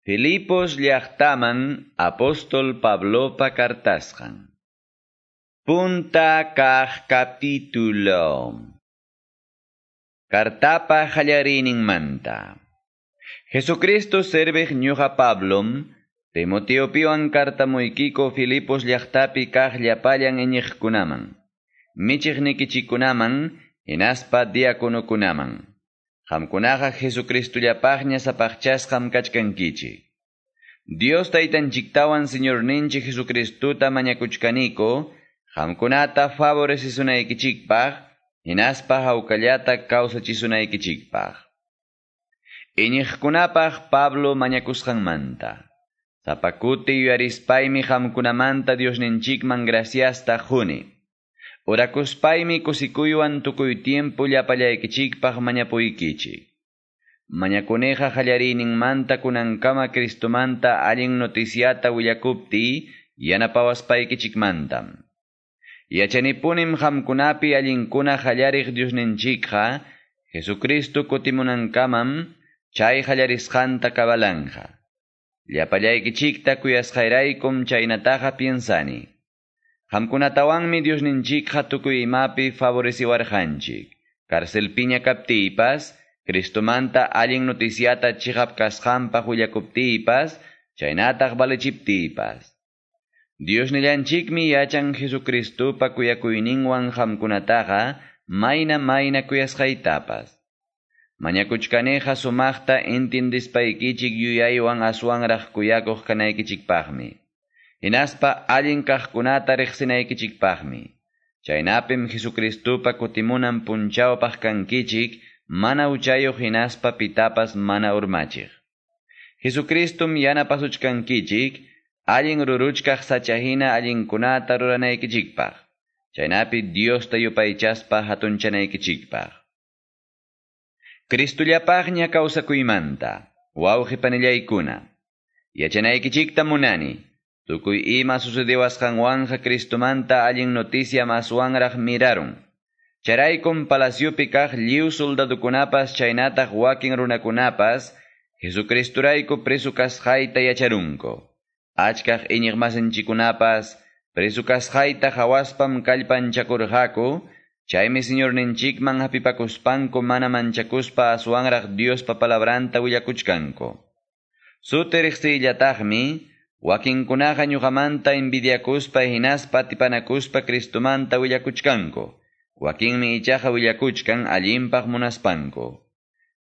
Filipos llaqtaman apóstol Pablopa kartasqan. Punta kaq capítulo. Kartapa manta. Jesucristo serviq ñuqa Pablom, Timoteopiwan kartamuykiko Filipos llaqtapi kaq llapallan iñiqkunaman, michiqnikichikkunaman, hinaspa diakonokunaman. Qamkunaqa Jesucristollapaqña sapaqchasqam kachkankichik. Dios taytanchiktawan Señorninchik Jesucristota mañakuchkaniko, qamkunata favorecesunaykichikpaq, hinaspa hawkallata kawsachisunaykichikpaq. Iñiqkunapaq Pablo mañakusqanmanta. Sapa kuti yuyarispaymi qamkunamanta Diosninchikman graciasta quni. Orakuspaymi kusikuywan tukuy tiempo llapallaykichikpaq mañapuykichik. Mañakuniqa qallariyninmanta kunankama Cristomanta allin noticiata willakuptiy yanapawaspaykichikmantam. Yachanipunim qamkunapi allinkuna qallariq Diosninchikqa Jesucristo kutimunankamam chay qallarisqanta kabalanja. Llapallaykichikta kuyasqayraykum chaynataqa piensani. Qamkunatawanmi Diosninchikqa tukuy imapi favoreciwarqanchik. Carcelpiña kaptiypas, Cristomanta allin noticiata chiqap kasqanpaq willakuptiypas, chaynataq valechiptiypas. Diosnillanchikmi yachan Jesucristopa kuyakuyninwan qamkunataqa mayna mayna kuyasqaytapas. Mañakuchkaniqa sumaqta entendispaykichik yuyaywan aswanraq kuyakuq kanaykichikpaqmi. Hinaspa allin kaqkunata riqsinaykichikpaqmi. Chaynapim Jesucristopa kutimunan punchawpaq kankichik mana huchayuq hinaspa pitapas mana urmachiq. Jesucristum yanapasuchkankichik allin ruruchkaq sachahina allinkunata ruranaykichikpaq. Chaynapi Diosta yupaychaspa hatunchanaykichikpaq. Cristollapaqña kawsakuymanta, wawqi panillaykuna. Yachanaykichikta munani. Tukuy ima sucedewasqanwanja Cristomanta allin noticia maswanraq mirarun. Charaykum palaciopi kaq lliw soldadukunapas chaynataq wakin runakunapas Jesucristurayku preso kasqayta yacharunku. Achkaq iñiqmasinchikkunapas preso kasqayta hawaspam kallpanchakurqaku, chaymi Señorninchikman hapipakuspanku mana manchakuspa aswanraq Diospa palabranta willakuchkanku. Suti riqsiyllataqmi, wakinkunaqa ñuqamanta envidiakuspa hinaspa atipanakuspa Cristomanta willakuchkanku. Wakinmi ichaqa willakuchkan allinpaq munaspanku.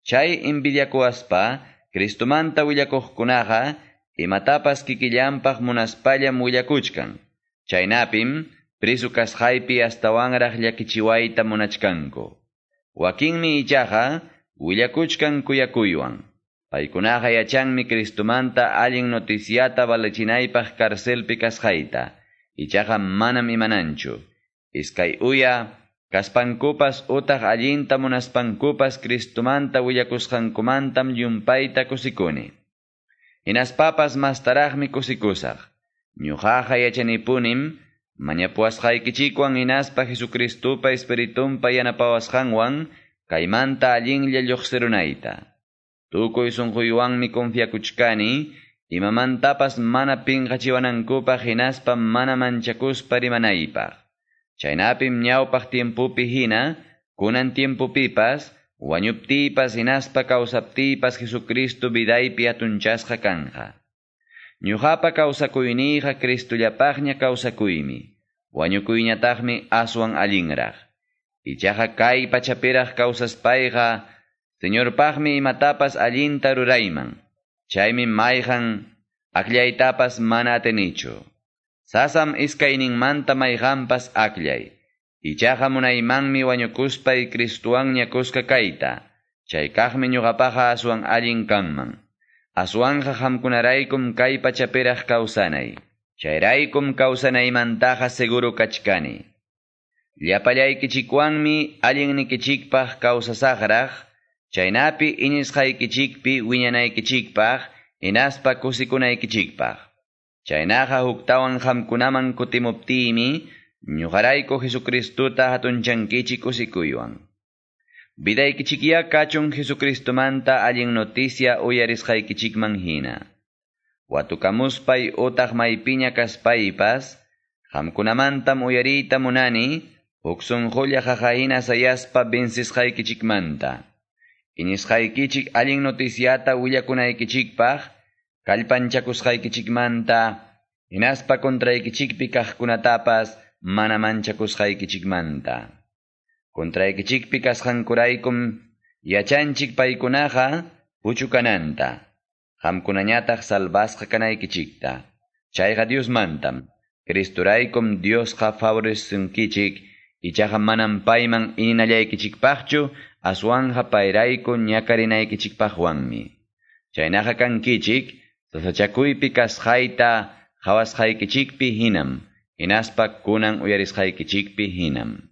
Chay envidiakuwaspa Cristomanta willakuqkunaqa imatapas kikillanpaq munaspallam willakuchkan. Chaynapim preso kasqaypi astawanraq llakichiwayta munachkanku. Wakinmi ichaqa willakuchkan kuyakuywan. Paykunaqa yachanmi Cristomanta allin noticiata valechinaypaq carcelpi kasqayta. Ichaqa manam imananchu. Iskay uya kaspankupas utaq allinta munaspankupas Cristomanta willakusqankumantam llumpayta kusikuni. Hinaspapas mastaraqmi kusikusaq. Ñuqaqa yachanipunim mañapuwasqaykichikwan hinaspa Jesucristopa Espiritunpa yanapawasqanwan kaymanta allinlla lluqsirunayta. Tukuy sunquywanmi confiakuchkani, imamantapas mana pinqachiwanankupaq hinaspa mana manchakuspa rimanaypaq. Chaynapim ñawpaq tiempopi hina, kunan tiempopipas, wañuptiypas hinaspa kawsaptiypas Jesucristo vidaypi hatunchasqa kanja. Ñuqapa kawsakuyniyqa Cristollapaqña kawsakuymi, wañukuyñataqmi aswan allinraq. Ichaqa kay pachapiraq kawsaspayqa, Señorpaqmi imatapas allinta rurayman. Chaymi mayqan akllaytapas mana atinichu. Sasam iskayninmanta mayqanpas akllay. Ichaqa munaymanmi wañukuspay Cristowanña kuska kayta. Chay kaqmi ñuqapaqa aswan allin kanman. Aswanja qamkunaraykum kay pachapiraq kawsanay. Chayraykum kawsanaymantaqa seguro kachkani. Llapallaykichikwanmi allinnikichikpaq kawsasaqraq, chaynapi iñisqaykichikpi wiñanaykichikpaq, hinaspa kusikunaykichikpaq. Chaynaqa huktawan qamkunaman kutimuptiymi, ñuqarayku Jesucristota hatunchankichik kusikuywan. Vidaykichikya kachun Jesucristomanta allin noticia uyarisqaykichikman hina. Watukamuspay utaq maypiña kaspaypas, qamkunamantam uyariyta munani, huk sunqulla qaqahina sayaspa vencisqaykichikmanta. Iñisqaykichik allin noticiata willakunaykichikpaq, kallpanchakusqaykichikmanta, hinaspa contraykichikpi kaqkunatapas mana manchakusqaykichikmanta. Contraykichikpi kasqankuraykum yachanchik paykunaqa puchukananta. Qamkunañataq salvasqa kanaykichikta. Chayqa Diosmantam. Cristoraykum Diosqa favoresunkichik, ichaqa manam payman ininallaykichikpaqchu, aswanja payrayku ñakarinaykichikpaqwanmi. Chaynaqa kankichik, sasachakuypi kasqayta qhawasqaykichikpi hinam, hinaspa kunan uyarisqaykichikpi hinam.